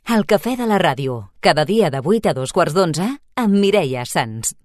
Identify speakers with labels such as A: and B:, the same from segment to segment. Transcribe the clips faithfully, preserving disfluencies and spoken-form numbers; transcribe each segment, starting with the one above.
A: El cafè de la ràdio, cada dia de vuit a dos quarts d'onze, amb Mireia Sans.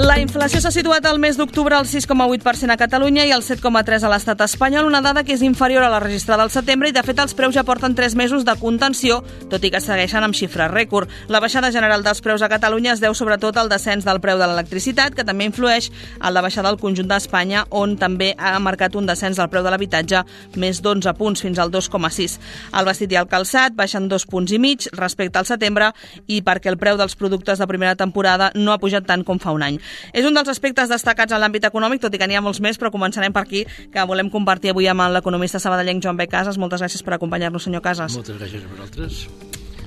B: La inflació s'ha situat al mes d'octubre al sis coma vuit per cent a Catalunya i al set coma tres per cent a l'estat espanyol, una dada que és inferior a la registrada al setembre i, de fet, els preus ja porten tres mesos de contenció, tot i que segueixen amb xifres rècord. La baixada general dels preus a Catalunya es deu sobretot al descens del preu de l'electricitat, que també influeix en la baixada del conjunt d'Espanya, on també ha marcat un descens del preu de l'habitatge, més d'onze punts, fins al dos coma sis. El vestit i el calçat baixen dos punts i mig respecte al setembre i perquè el preu dels productes de primera temporada no ha pujat tant com fa un any. És un dels aspectes destacats en l'àmbit econòmic, tot i que n'hi ha molts més, però començarem per aquí, que volem compartir avui amb l'economista sabadellenc Joan B. Casas. Moltes gràcies per acompanyar-nos, senyor Casas.
C: Moltes gràcies a vosaltres.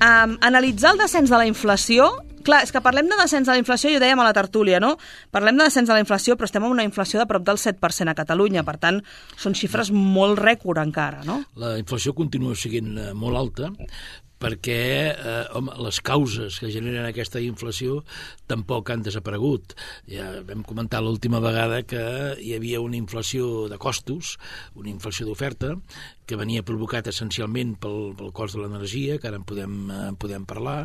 B: Um, analitzar el descens de la inflació... Clar, és que parlem de descens de la inflació i ho dèiem a la tertúlia, no? Parlem de descens de la inflació, però estem en una inflació de prop del set per cent a Catalunya. Per tant, són xifres molt rècord encara, no?
C: La inflació continua sent molt alta, perquè eh, home, les causes que generen aquesta inflació tampoc han desaparegut. Ja vam comentar l'última vegada que hi havia una inflació de costos, una inflació d'oferta, que venia provocat essencialment pel, pel cost de l'energia, que ara en podem, en podem parlar,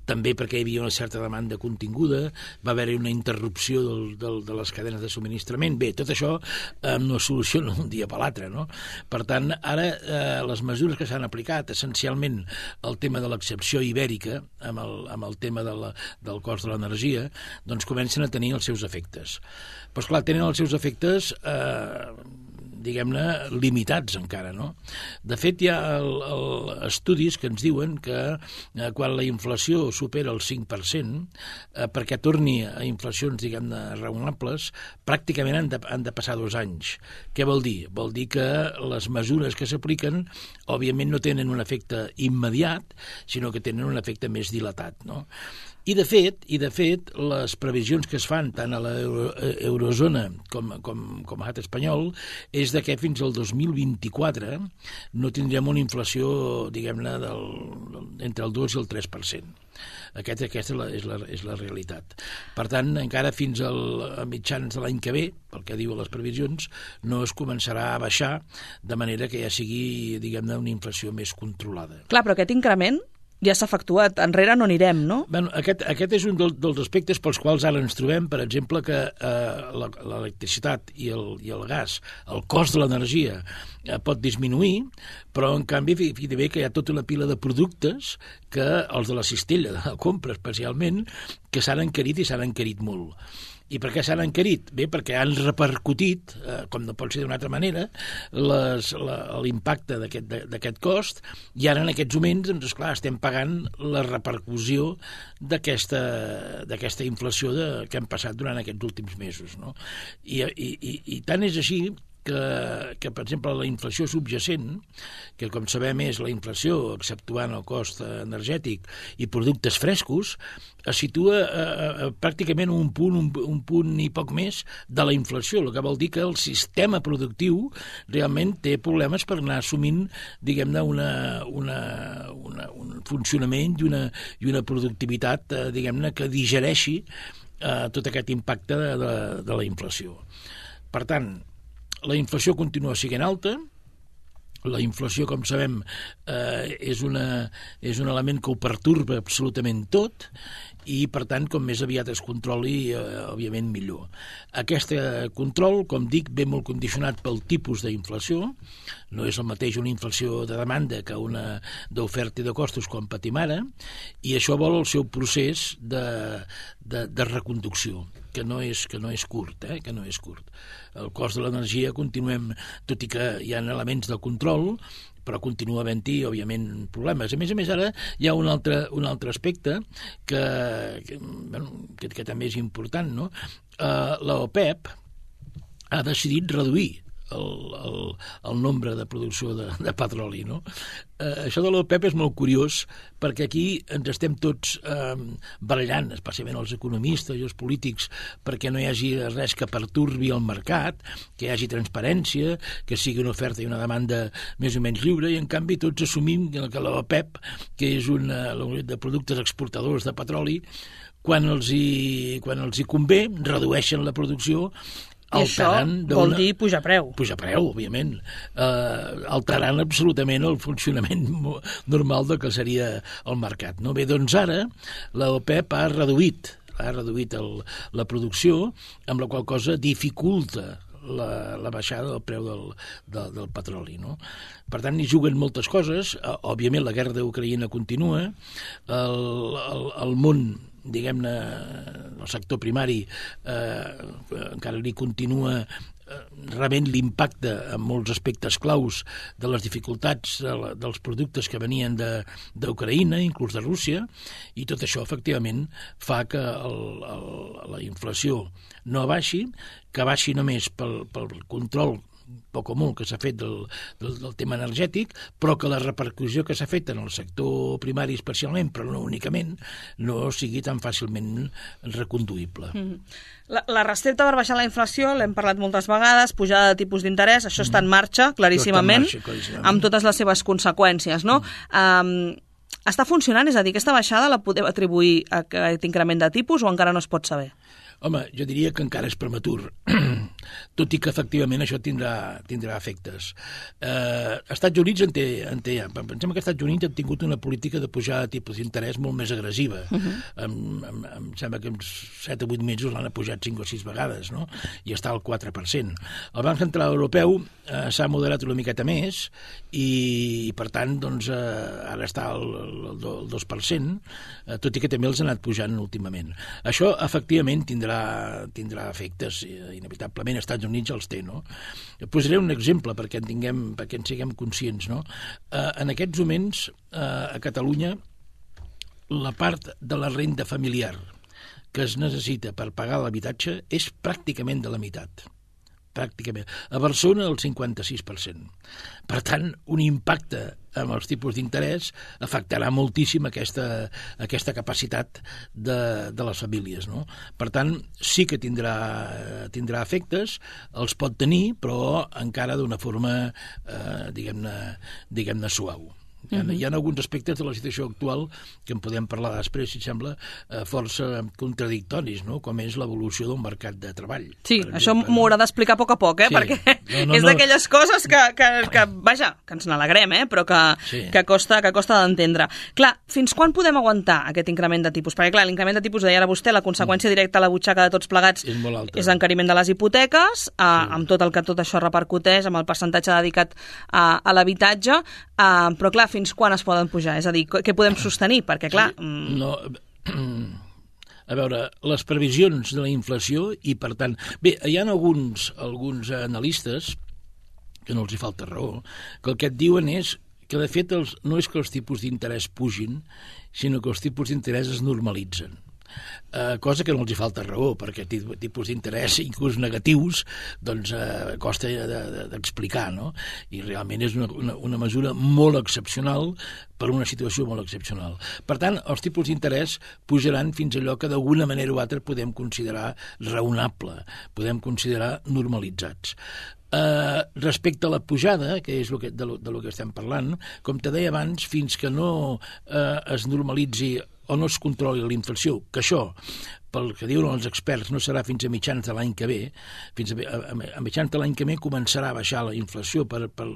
C: també perquè hi havia una certa demanda continguda, va haver-hi una interrupció del, del, de les cadenes de subministrament. Bé, tot això eh, no es soluciona un dia per l'altre, no? Per tant, ara eh, les mesures que s'han aplicat, essencialment el tema de l'excepció ibèrica, amb el, amb el tema de la, del cost de l'energia, doncs comencen a tenir els seus efectes. Però, esclar, tenen els seus efectes... Eh, diguem-ne, limitats encara, no? De fet, hi ha el, el, estudis que ens diuen que eh, quan la inflació supera el cinc per cent, eh, perquè torni a inflacions, diguem-ne, raonables, pràcticament han de, han de passar dos anys. Què vol dir? Vol dir que les mesures que s'apliquen, òbviament, no tenen un efecte immediat, sinó que tenen un efecte més dilatat, no? I de fet, i de fet, les previsions que es fan tant a la euro, eurozona com, com, com a l'estat espanyol és de que fins al dos mil vint-i-quatre no tindrem una inflació, diguem-ne, del, entre el dos i el tres per cent. Aquest, aquesta és la, és, la, és la realitat. Per tant, encara fins al, a mitjans de l'any que ve, pel que diuen les previsions, no es començarà a baixar de manera que ja sigui, diguem-ne, una inflació més controlada.
B: Clar, però aquest increment ja s'ha efectuat, enrere no anirem, no?
C: Bueno, aquest, aquest és un del, dels aspectes pels quals ara ens trobem, per exemple, que eh, l'electricitat i el, i el gas, el cost de l'energia eh, pot disminuir, però en canvi fíjate bé que hi ha tota una pila de productes que els de la cistella de la compra especialment, que s'han encarit i s'han encarit molt. I per què s'han encarit? Bé, perquè han repercutit, eh, com no pot ser d'una altra manera, les, la, l'impacte d'aquest, d'aquest cost, i ara en aquests moments, doncs, esclar, estem pagant la repercussió d'aquesta, d'aquesta inflació de, que hem passat durant aquests últims mesos, no? I, i, i, i tant és així que, que, per exemple, la inflació subjacent, que com sabem és la inflació exceptuant el cost energètic i productes frescos, es situa eh, pràcticament un punt, un, un punt i poc més de la inflació, el que vol dir que el sistema productiu realment té problemes per anar assumint, diguem-ne, una, una, una, un funcionament i una, i una productivitat, eh, diguem-ne, que digereixi eh, tot aquest impacte de, de, de la inflació. Per tant, la inflació continua sent alta. La inflació, com sabem, eh, és, una, és un element que ho pertorba absolutament tot i, per tant, com més aviat es controli, eh, òbviament millor. Aquest control, com dic, ve molt condicionat pel tipus d'inflació. No és el mateix una inflació de demanda que una d'oferta i de costos com patim ara, i això vol el seu procés de, de, de reconducció, que no és, que no és curt, eh? que no és curt. El cost de l'energia continuem, tot i que hi ha elements de control, però continua havent-hi, òbviament, problemes. A més a més, ara hi ha un altre, un altre aspecte que, que, bueno, que, que també és important, no? Uh, la OPEP ha decidit reduir el, el, el nombre de producció de, de petroli, no? Eh, això de l'OPEP és molt curiós perquè aquí ens estem tots eh, barallant, especialment els economistes i els polítics, perquè no hi hagi res que perturbi el mercat, que hi hagi transparència, que sigui una oferta i una demanda més o menys lliure, i en canvi tots assumim que l'OPEP, que és una de productes exportadors de petroli, quan els hi, quan els hi convé, redueixen la producció.
B: I això vol dir pujar preu.
C: Pujar preu, òbviament. Eh, alterant absolutament el funcionament normal del que seria el mercat. No? Bé, doncs ara l'OPEP ha reduït, ha reduït el, la producció, amb la qual cosa dificulta La, la baixada del preu del, del, del petroli. No? Per tant, hi juguen moltes coses. Òbviament, la guerra d'Ucraïna continua. El, el, el món, diguem-ne, el sector primari eh, encara li continua rebent l'impacte en molts aspectes claus de les dificultats de la, dels productes que venien d'Ucraïna, inclús de Rússia, i tot això, efectivament, fa que el, el, la inflació no baixi, que baixi només pel, pel control poc o molt que s'ha fet del, del, del tema energètic, però que la repercussió que s'ha fet en el sector primari especialment, però no únicament, no sigui tan fàcilment reconduïble. Mm.
B: La, la recepta per baixar la inflació, l'hem parlat moltes vegades, pujada de tipus d'interès, això està en marxa, claríssimament, en marxa, claríssimament, amb totes les seves conseqüències, no? Mm. Um, està funcionant? És a dir, aquesta baixada la podem atribuir a aquest increment de tipus o encara no es pot saber?
C: Home, jo diria que encara és prematur, tot i que efectivament això tindrà, tindrà efectes. Eh, Estats Units en té, en té, pensem que Estats Units han tingut una política de pujar de tipus d'interès molt més agressiva. Uh-huh. em, em, em sembla que en set o vuit mesos l'han pujat cinc o sis vegades, no? I està al quatre per cent. El Banc Central Europeu eh, s'ha moderat una miqueta més i, i per tant, doncs, eh, ara està al, al, al dos per cent, eh, tot i que també els ha anat pujant últimament. Això, efectivament, tindrà tindrà efectes, inevitablement als Estats Units els té, no? Posaré un exemple perquè en tinguem, perquè en siguem conscients, no? Eh, en aquests moments, eh, a Catalunya, la part de la renda familiar que es necessita per pagar l'habitatge és pràcticament de la meitat. Pràcticament. A Barcelona, el cinquanta-sis per cent. Per tant, un impacte amb els tipus d'interès afectarà moltíssim aquesta, aquesta capacitat de, de les famílies, no? Per tant, sí que tindrà, tindrà efectes, els pot tenir, però encara d'una forma, eh, diguem-ne, diguem-ne suau. Hi ha, hi ha alguns aspectes de la situació actual que en podem parlar després, si sembla, eh, força contradictoris, no? Com és l'evolució del mercat de treball.
B: Sí, això m'ho haurà d'explicar a poc a poc, eh? Sí. Perquè no, no, és d'aquelles no. coses que, que, que, vaja, que ens n'alegrem, eh? Però que, sí. que costa, que costa d'entendre. Clar, fins quan podem aguantar aquest increment de tipus? Perquè, clar, l'increment de tipus, deia ara vostè, la conseqüència directa a la butxaca de tots plegats
C: és,
B: és l'encariment de les hipoteques, eh, sí. amb tot el que tot això repercuteix, amb el percentatge dedicat a, a l'habitatge, eh, però, clar, fins quan es poden pujar? És a dir, què podem sostenir? Perquè, clar...
C: Sí, no, a veure, les previsions de la inflació i, per tant... Bé, hi ha alguns, alguns analistes, que no els hi falta raó, que el que et diuen és que, de fet, els, no és que els tipus d'interès pugin, sinó que els tipus d'interès es normalitzen. Uh, cosa que no els hi falta raó, perquè tipus d'interès, inclús negatius, doncs uh, costa d'explicar, de, de, no? I realment és una, una, una mesura molt excepcional per una situació molt excepcional. Per tant, els tipus d'interès pujaran fins a allò que d'alguna manera o altra podem considerar raonable, podem considerar normalitzats. Uh, respecte a la pujada, que és lo que, de, lo, de lo que estem parlant, com te deia abans, fins que no uh, es normalitzi o no es controli la inflació, que això, pel que diuen els experts, no serà fins a mitjans de l'any que ve, fins a, a, a mitjans de l'any que ve començarà a baixar la inflació per, per,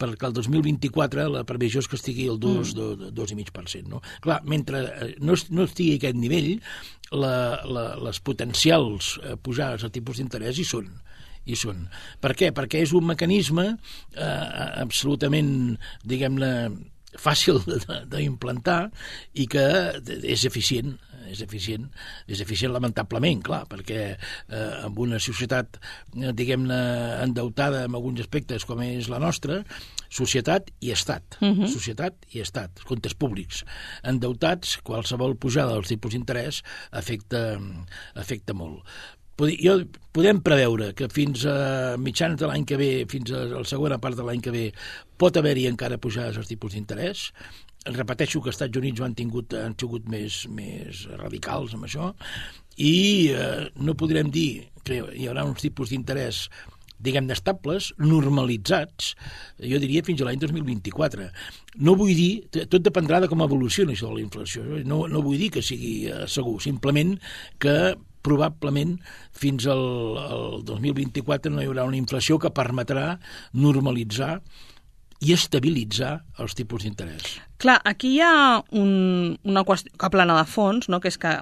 C: perquè el dos mil vint-i-quatre la previsió és que estigui al dos coma cinc per cent. No? Clar, mentre no, no estigui a aquest nivell, la, la, les potencials pujades de tipus d'interès hi són. Hi són. Per què? Perquè és un mecanisme eh, absolutament, diguem-ne, fàcil d'implantar i que és eficient, és eficient, és eficient lamentablement, clar, perquè eh, en una societat, diguem-ne, endeutada en alguns aspectes com és la nostra, societat i estat, uh-huh. societat i estat, comptes públics. Endeutats, qualsevol pujada dels tipus d'interès afecta, afecta molt. jo, podem preveure que fins a mitjans de l'any que ve, fins a la segona part de l'any que ve, pot haver-hi encara pujades als tipus d'interès. Repeteixo que els Estats Units han tingut, han sigut més, més radicals amb això, i eh, no podrem dir que hi haurà uns tipus d'interès, diguem-ne, estables, normalitzats, jo diria fins a l'any dos mil vint-i-quatre. No vull dir, tot dependrà de com evolucioni això de la inflació, no, no vull dir que sigui eh, segur, simplement que probablement fins al, al dos mil vint-i-quatre no hi haurà una inflació que permetrà normalitzar i estabilitzar els tipus d'interès.
B: Clar, aquí hi ha un, una qüestió que plana de fons, no? Que és que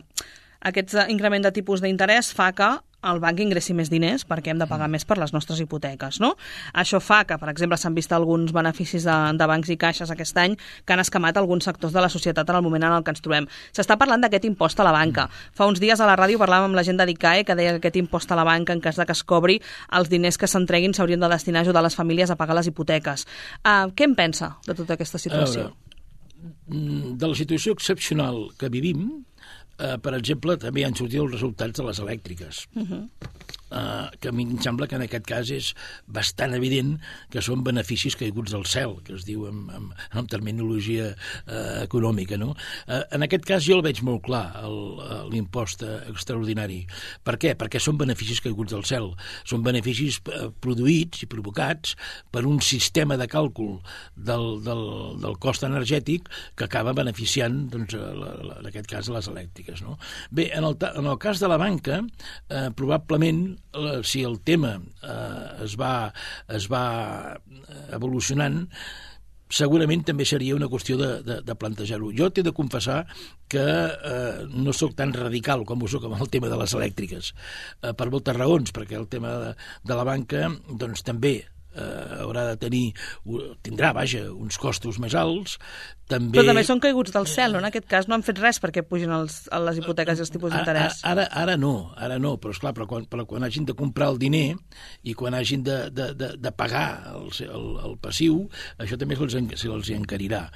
B: aquest increment de tipus d'interès fa que el banc ingressi més diners perquè hem de pagar més per les nostres hipoteques, no? Això fa que, per exemple, s'han vist alguns beneficis de, de bancs i caixes aquest any que han escamat alguns sectors de la societat en el moment en el que ens trobem. S'està parlant d'aquest impost a la banca. Fa uns dies a la ràdio parlàvem amb la gent de l'I C A E que deia que aquest impost a la banca, en cas de que es cobri, els diners que s'entreguin s'haurien de destinar a ajudar les famílies a pagar les hipoteques. Uh, què en pensa de tota aquesta situació?
C: Veure, de la situació excepcional que vivim, Uh, per exemple, també han sortit els resultats de les elèctriques, uh-huh. uh, que a mi em sembla que en aquest cas és bastant evident que són beneficis caiguts del cel, que es diu en, en, en terminologia uh, econòmica, no? Uh, en aquest cas jo el veig molt clar, l'impost extraordinari. Per què? Perquè són beneficis caiguts del cel. Són beneficis uh, produïts i provocats per un sistema de càlcul del, del, del cost energètic que acaba beneficiant, doncs, la, la, en aquest cas, les elèctriques. No? Bé, en el, en el cas de la banca, eh, probablement, eh, si el tema eh, es va, es va evolucionant, segurament també seria una qüestió de, de, de plantejar-ho. Jo t'he de confessar que eh, no sóc tan radical com ho soc amb el tema de les elèctriques, eh, per moltes raons, perquè el tema de, de la banca doncs, també eh, haurà de tenir, tindrà, vaja, uns costos més alts. També...
B: Però també són caiguts del cel, no? En aquest cas no han fet res perquè pugin els, les hipoteques i els tipus d'interès.
C: Ara, ara no, ara no, però esclar, però quan, però quan hagin de comprar el diner i quan hagin de, de, de, de pagar el, el, el passiu, això també se'ls se encarirà.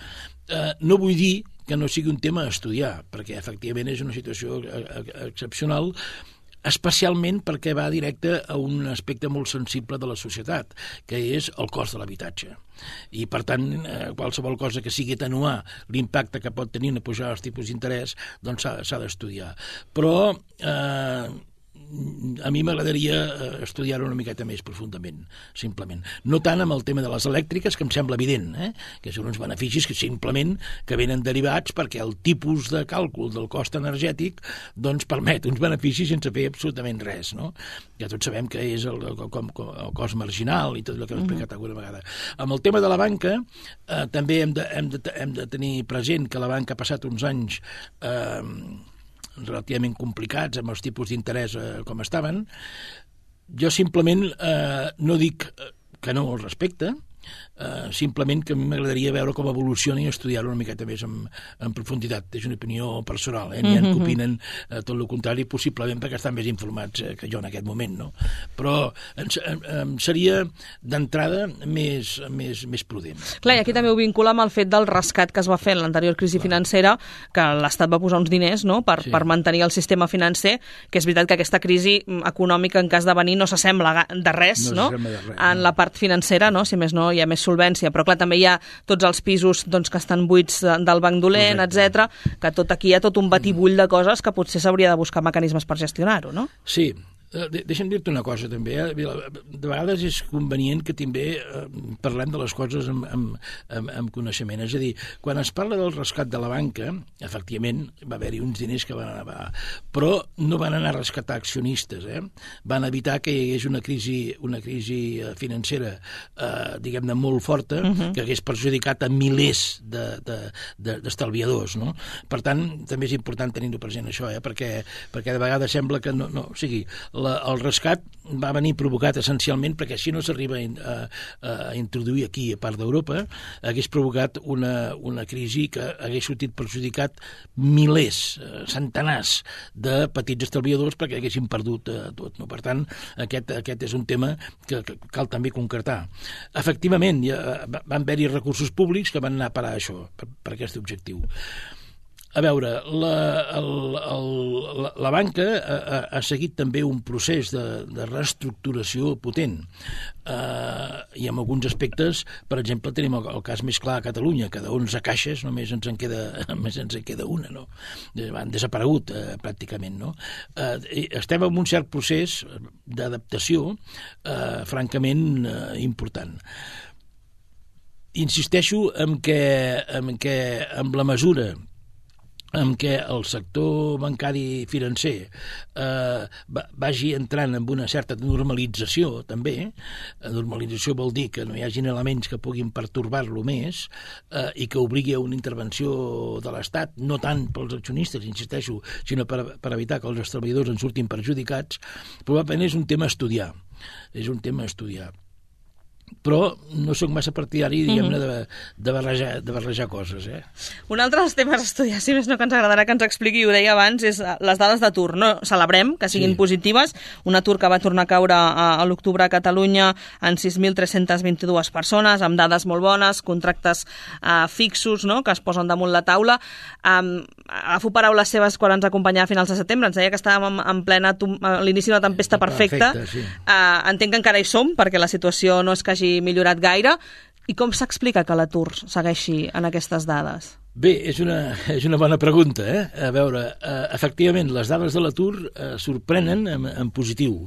C: Eh, no vull dir que no sigui un tema a estudiar, perquè efectivament és una situació excepcional, especialment perquè va directe a un aspecte molt sensible de la societat, que és el cost de l'habitatge. I, per tant, eh, qualsevol cosa que sigui atenuar l'impacte que pot tenir una pujada dels tipus d'interès, doncs s'ha d'estudiar. Però eh, a mi m'agradaria estudiar-ho una miqueta més profundament, simplement. No tant amb el tema de les elèctriques, que em sembla evident, eh? que són uns beneficis que simplement que venen derivats perquè el tipus de càlcul del cost energètic doncs permet uns beneficis sense fer absolutament res, no? Ja tots sabem que és el, el, el, el cost marginal i tot el que hem explicat alguna vegada. Amb el tema de la banca, eh, també hem de, hem, de, hem de tenir present que la banca ha passat uns anys eh, relativament complicats amb els tipus d'interès eh, com estaven. Jo simplement eh, no dic que no al respecte, eh, simplement que a mi m'agradaria veure com evoluciona i estudiar-ho una miqueta més en, en profunditat. És una opinió personal, eh? N'hi ha que opinen eh, tot el contrari, possiblement perquè estan més informats eh, que jo en aquest moment, no? Però en, en, en seria d'entrada més, més, més prudent.
B: Clar, i aquí també ho vincula amb el fet del rescat que es va fer en l'anterior crisi Clar. financera, que l'Estat va posar uns diners, no?, per, sí. per mantenir el sistema financer, que és veritat que aquesta crisi econòmica, en cas de venir, no s'assembla de res, no? no? De res, en no. la part financera, no?, si més no, hi ha més solvència, però clar, també hi ha tots els pisos doncs, que estan buits del banc dolent, etcètera, que tot aquí hi ha tot un batibull de coses que potser s'hauria de buscar mecanismes per gestionar-ho, no?
C: Sí. Deixa'm dir-te una cosa també, eh? De vegades és convenient que també eh, parlem de les coses amb, amb, amb, amb coneixement, és a dir, quan es parla del rescat de la banca, efectivament va haver-hi uns diners que van anar, però no van anar a rescatar accionistes, eh? Van evitar que hi hagués una crisi, una crisi financera eh, diguem-ne molt forta, uh-huh. que hagués perjudicat a milers d'estalviadors, de, de, no? Per tant, també és important tenir-ho present això, eh? perquè, perquè de vegades sembla que no, no, o sigui, La, el rescat va venir provocat essencialment perquè si no s'arriba a, a, a introduir aquí a part d'Europa hagués provocat una, una crisi que hagués sortit perjudicat milers, centenars de petits estalviadors perquè haguessin perdut eh, tot. No? Per tant, aquest, aquest és un tema que, que cal també concretar. Efectivament, ja, van haver-hi recursos públics que van anar a parar això, per, per aquest objectiu. A veure, la, el, el, la, la banca ha, ha seguit també un procés de, de reestructuració potent. Uh, I en alguns aspectes, per exemple, tenim el, el cas més clar a Catalunya, que d'onze caixes només ens en queda, només ens en queda una, no? Han desaparegut uh, pràcticament, no? Uh, estem en un cert procés d'adaptació uh, francament uh, important. Insisteixo en que, en que amb la mesura en què el sector bancari financer eh, vagi entrant en una certa normalització, també. Normalització vol dir que no hi hagin elements que puguin pertorbar-lo més eh, i que obligui a una intervenció de l'Estat, no tant pels accionistes, insisteixo, sinó per, per evitar que els treballadors en surtin perjudicats, probablement és un tema a estudiar. És un tema a estudiar. Però no sóc massa partidari, diguem-ne, de, de, barrejar, de barrejar coses. Eh?
B: Un altre dels temes a estudiar, si més no que ens agradarà que ens expliqui, ho deia abans, és les dades d'atur. No celebrem que siguin sí. positives. Un atur que va tornar a caure a, a l'octubre a Catalunya en sis mil tres-centes vint-i-dues persones, amb dades molt bones, contractes uh, fixos, no?, que es posen damunt la taula. Um, agafo paraules seves quan ens acompanyava a finals de setembre. Ens deia que estàvem en, en plena a l'inici d'una tempesta perfecta. perfecta sí. uh, entenc que encara hi som, perquè la situació no és que hagi millorat gaire. I com s'explica que l'atur segueixi en aquestes dades?
C: Bé, és una, és una bona pregunta. Eh? A veure, eh, efectivament, les dades de l'atur eh, sorprenen en, en positiu.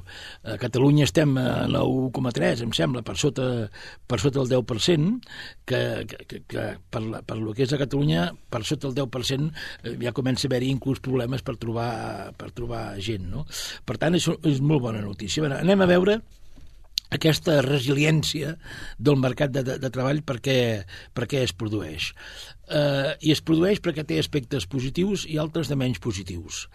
C: A Catalunya estem a nou coma tres, em sembla, per sota, per sota el deu per cent, que, que, que per, la, per lo que és a Catalunya, per sota el deu per cent eh, ja comença a haver-hi inclús problemes per trobar, per trobar gent. No? Per tant, és, és molt bona notícia. A veure, anem a veure aquesta resiliència del mercat de, de, de treball per què, per què es produeix. Eh, I es produeix perquè té aspectes positius i altres de menys positius.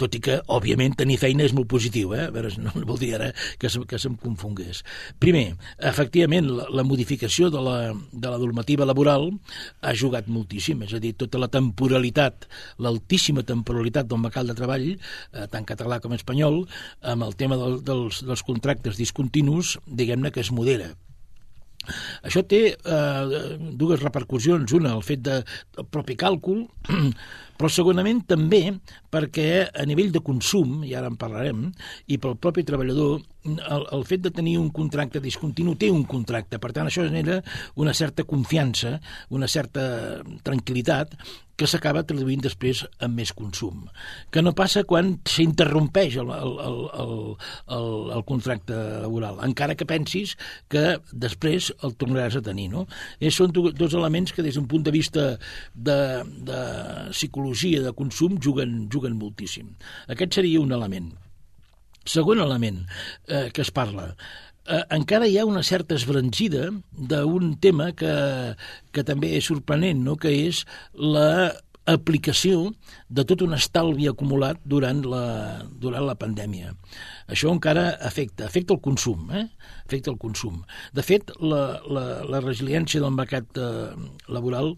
C: Tot i que, òbviament, tenir feina és molt positiu, eh? A veure, no vol dir ara que, se, que se'm confongués. Primer, efectivament, la, la modificació de la, de la normativa laboral ha jugat moltíssim, és a dir, tota la temporalitat, l'altíssima temporalitat del mercat de treball, eh, tant català com espanyol, amb el tema del, dels, dels contractes discontinus, diguem-ne que es modera. Això té eh, dues repercussions. Una, el fet de, del propi càlcul, però segurament també perquè a nivell de consum, i ara en parlarem, i pel propi treballador, el, el fet de tenir un contracte discontinu té un contracte. Per tant, això genera una certa confiança, una certa tranquil·litat, que s'acaba traduint després en més consum. Que no passa quan s'interrompeix el, el, el, el, el contracte laboral, encara que pensis que després el tornaràs a tenir. No? I són dos elements que des d'un punt de vista de, de psicologia, de consum, juguen, juguen moltíssim. Aquest seria un element. Segon element eh, que es parla, eh, encara hi ha una certa esbrancida d'un tema que, que també és sorprenent, no? Que és la aplicació de tot un estalvi acumulat durant la, durant la pandèmia. Això encara afecta, afecta el consum, eh? Afecta el consum. De fet, la, la, la resiliència del mercat eh, laboral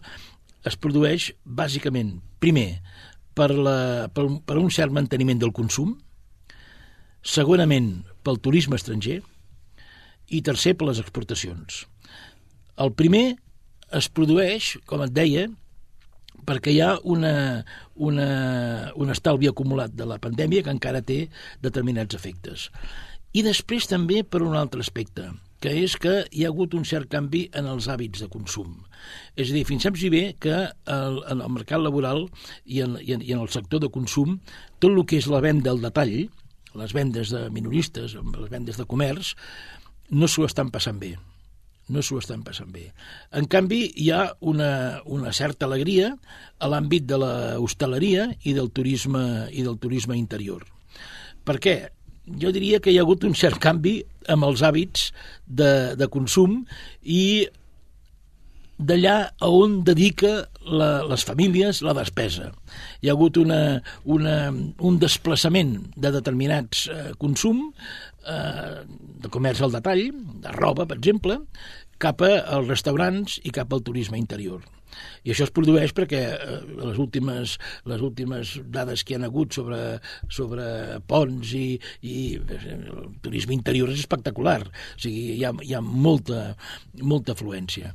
C: es produeix bàsicament, primer, per, la, per, per un cert manteniment del consum, segurament pel turisme estranger i tercer per les exportacions. El primer es produeix, com et deia, perquè hi ha una, una, un estalvi acumulat de la pandèmia que encara té determinats efectes. I després també per un altre aspecte, que és que hi ha hagut un cert canvi en els hàbits de consum. És a dir, fins saps bé que el, en el mercat laboral i en, i, en, i en el sector de consum, tot el que és la venda al detall, les vendes de minoristes, les vendes de comerç, no s'ho estan passant bé. No s'ho estan passant bé. En canvi, hi ha una, una certa alegria a l'àmbit de l'hostaleria i del turisme i del turisme interior. Per què? Jo diria que hi ha hagut un cert canvi amb els hàbits de, de consum i d'allà a on dedica la, les famílies la despesa. Hi ha hagut una, una, un desplaçament de determinats eh, consum, eh, de comerç al detall, de roba, per exemple, cap als restaurants i cap al turisme interior. I això es produeix perquè eh, les, últimes, les últimes dades que hi ha hagut sobre, sobre ponts i, i el turisme interior és espectacular. O sigui, hi ha, hi ha molta, molta afluència.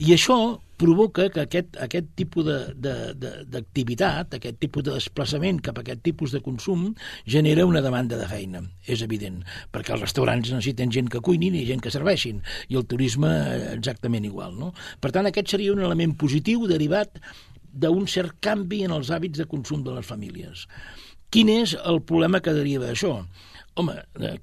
C: I això provoca que aquest, aquest tipus d'activitat, aquest tipus de desplaçament cap a aquest tipus de consum genera una demanda de feina, és evident, perquè els restaurants necessiten gent que cuinin i gent que serveixin, i el turisme exactament igual, no? Per tant, aquest seria un element positiu derivat d'un cert canvi en els hàbits de consum de les famílies. Quin és el problema que deriva d'això? Home,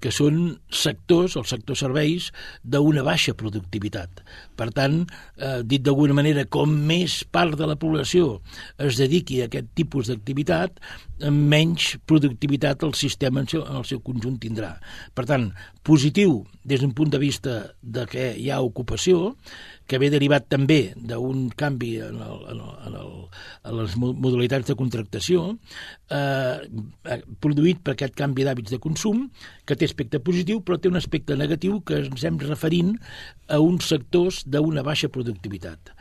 C: que són sectors, el sector serveis, d'una baixa productivitat. Per tant, eh, dit d'alguna manera, com més part de la població es dediqui a aquest tipus d'activitat, menys productivitat el sistema en, seu, en el seu conjunt tindrà. Per tant, positiu des d'un punt de vista de que hi ha ocupació, que ve derivat també d'un canvi en, el, en, el, en, el, en les modalitats de contractació, eh, produït per aquest canvi d'hàbits de consum, que té aspecte positiu, però té un aspecte negatiu que ens estem referint a uns sectors d'una baixa productivitat.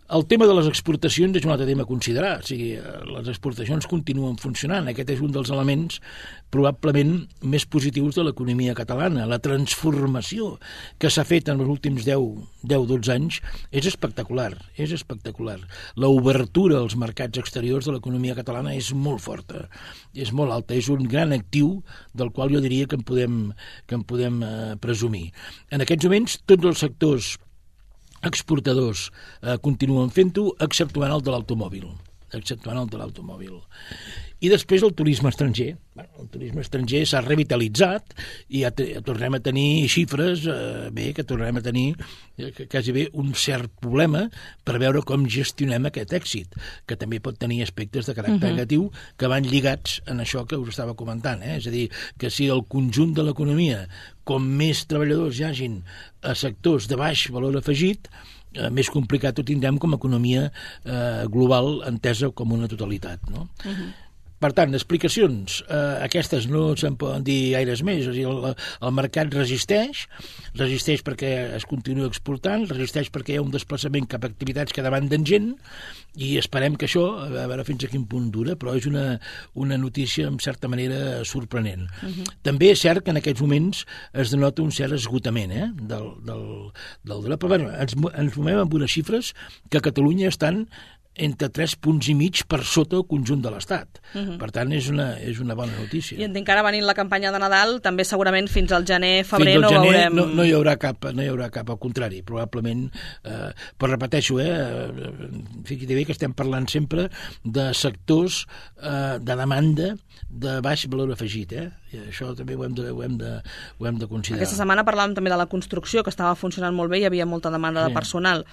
C: El tema de les exportacions és un altre tema a considerar. O sigui, les exportacions continuen funcionant. Aquest és un dels elements probablement més positius de l'economia catalana. La transformació que s'ha fet en els últims deu a dotze anys és espectacular, és espectacular. L'obertura als mercats exteriors de l'economia catalana és molt forta, és molt alta, és un gran actiu del qual jo diria que en podem, que en podem eh, presumir. En aquests moments, tots els sectors exportadors eh, continuen fent-ho, exceptuant el de l'automòbil, exceptuant el de l'automòbil. I després el turisme estranger. Bueno, el turisme estranger s'ha revitalitzat i ja, te, ja tornem a tenir xifres, eh, bé, que tornem a tenir eh, quasi bé un cert problema per veure com gestionem aquest èxit, que també pot tenir aspectes de caràcter uh-huh. negatiu que van lligats en això que us estava comentant. Eh? És a dir, que si el conjunt de l'economia, com més treballadors hi hagin a sectors de baix valor afegit, eh, més complicat ho tindrem com a economia eh, global entesa com una totalitat, no? Uh-huh. Per tant, explicacions, eh, aquestes no se'n poden dir gaires més. O sigui, el, el mercat resisteix, resisteix perquè es continua exportant, resisteix perquè hi ha un desplaçament cap a activitats que demanden gent, i esperem que això, a veure fins a quin punt dura, però és una, una notícia, en certa manera, sorprenent. Uh-huh. També és cert que en aquests moments es denota un cert esgotament eh, del, del, del drap. Però bueno, ens, ens movem amb unes xifres que a Catalunya estan entre tres punts i mig per sota el conjunt de l'Estat. Uh-huh. Per tant, és una, és una bona notícia.
B: I entenc que ara venint la campanya de Nadal, també segurament fins al gener, febrer
C: fins al
B: no
C: gener
B: veurem...
C: No, no, hi haurà cap, no hi haurà cap, al contrari, probablement, eh, però repeteixo, eh, fixa't bé que estem parlant sempre de sectors eh, de demanda de baix valor afegit, eh? I això també ho hem de, ho hem de, ho hem de considerar.
B: Aquesta setmana parlàvem també de la construcció, que estava funcionant molt bé, hi havia molta demanda sí. de personal.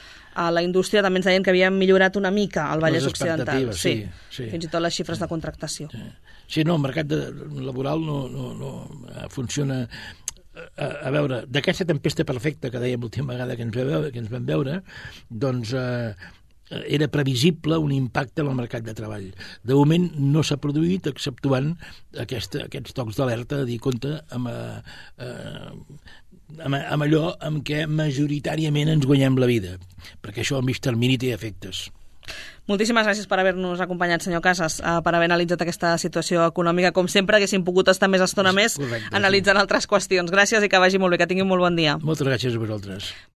B: A la indústria també ens deien que havien millorat una mica al Vallès Occidental. Sí, sí. Fins i tot les xifres de contractació.
C: Sí, sí no, el mercat de, laboral no, no, no funciona... A, a veure, d'aquesta tempesta perfecta que dèiem l'última vegada que ens, veure, que ens vam veure, doncs eh, era previsible un impacte en el mercat de treball. De moment no s'ha produït, exceptuant aquesta, aquests tocs d'alerta de dir compte amb, eh, amb, amb allò amb què majoritàriament ens guanyem la vida, perquè això al mig termini té efectes.
B: Moltíssimes gràcies per haver-nos acompanyat, senyor Casas, per haver analitzat aquesta situació econòmica. Com sempre, haguéssim pogut estar més estona més Correcte, analitzant sí. altres qüestions. Gràcies i que vagi molt bé, que tingui un molt bon dia.
C: Moltes gràcies a vosaltres.